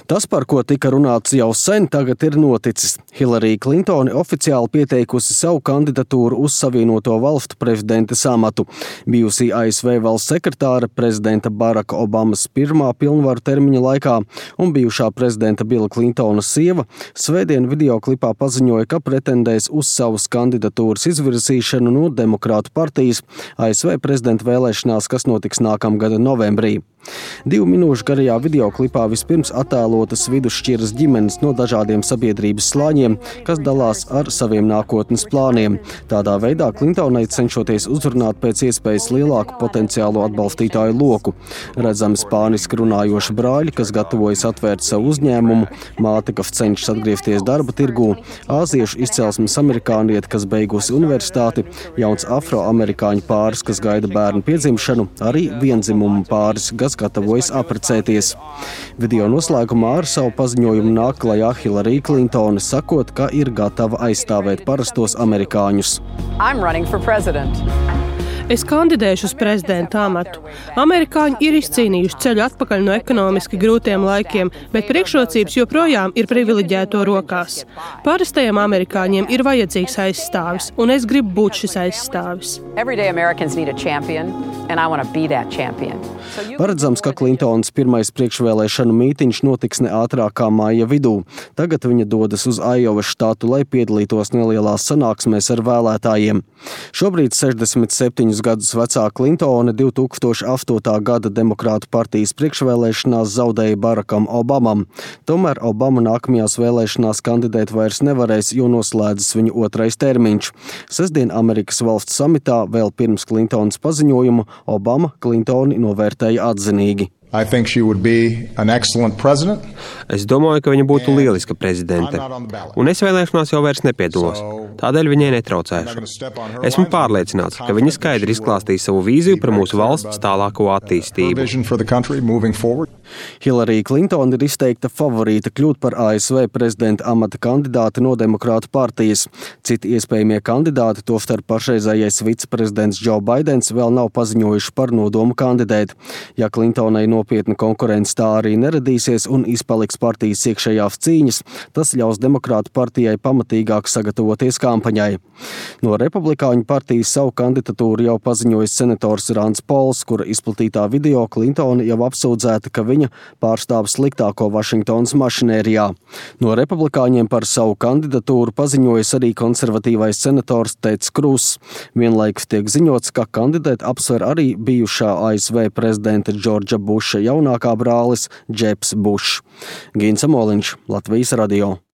Tas, par ko tika runāts jau sen, tagad ir noticis. Hillary Clintone oficiāli pieteikusi savu kandidatūru uz Savienoto Valstu prezidentes amatu. Bijusī ASV valsts sekretāre prezidenta Baracka Obamas pirmā pilnvaru termiņa laikā un bijušā prezidenta Billa Clintona sieva svētdien videoklipā paziņoja, ka pretendēs uz savas kandidatūras izvirzīšanu no Demokrātu partijas ASV prezidenta vēlēšanās, kas notiks nākamgada novembrī. 2 minūšu garajā videoklipā vispirms attēlotas vidusšķiras ģimenes no dažādiem sabiedrības slāņiem, kas dalās ar saviem nākotnes plāniem. Tādā veidā Clintonai cenšoties uzrunāt pēc iespējas lielāku potenciālo atbalstītāju loku. Redzami spāniski runājoši brāļi, kas gatavojas atvērt savu uzņēmumu, māte, kas cenšas atgriezties darba tirgū, āziešu izcelsmes amerikānieti, kas beigusi universitāti, jauns afroamerikāņu pāris, kas gaida bērnu piedzimšanu, arī viendzimumu pāris, kas gatavojas apprecēties. Video noslēgumā ar savu paziņojumu nāk klajā Hillary Clintone, sakot, ka ir gatava aizstāvēt parastos amerikāņus. Es kandidēšu uz prezidenta amatu. Amerikāņi ir izcīnījuši ceļu atpakaļ no ekonomiski grūtiem laikiem, bet priekšrocības joprojām ir privileģēto rokās. Parastajiem amerikāņiem ir vajadzīgs aizstāvis, un es gribu būt šis aizstāvis. Paredzams, ka Clintonas pirmais priekšvēlēšanu mītiņš notiks ne ātrāk kā māja vidū. Tagad viņa dodas uz Aiovas štatu, lai piedalītos nelielās sanāksmēs ar vēlētājiem. Šobrīd 67 gadus vecā Clintone 2008. gada Demokrātu partijas priekšvēlēšanās zaudēja Barackam Obamam. Tomēr Obama nākamajās vēlēšanās kandidēt vairs nevarēs, jo noslēdzas viņa otrais termiņš. Sestdien Amerikas valsts samitā vēl pirms Clintonas paziņojumu Obama Clintoni novērtēja atzinīgi. Es domāju, ka viņa būtu lieliska prezidente, un es vēlēšanās jau vairs nepiedalos, tādēļ viņai netraucēšu. Esmu pārliecināts, ka viņa skaidri izklāstīs savu vīziju par mūsu valsts tālāko attīstību. Hillary Clintone ir izteikta favorīta kļūt par ASV prezidenta amata kandidāti no Demokrātu partijas. Citi iespējamie kandidāti, tostarp pašreizējais viceprezidents Joe Baidens, vēl nav paziņojuši par nodomu kandidēt. Ja Clintonai nopietna konkurence tā arī neradīsies un izpaliks partijas iekšējās cīņas, tas ļaus Demokrātu partijai pamatīgāk sagatavoties kampaņai. No Republikāņu partijas savu kandidatūru jau paziņojis senators Rands Pols, kura izplatītā video Clintone jau apsūdzēta, ka viņa pārstāv sliktāko Vašingtonas mašinērijā. No republikāņiem par savu kandidatūru paziņojas arī konservatīvais senators Teds Krūss. Vienlaikus tiek ziņots, ka kandidēt apsver arī bijušā ASV prezidenta Džordža Buša jaunākā brālis Džebs Bušs. Gins Amoliņš, Latvijas radio.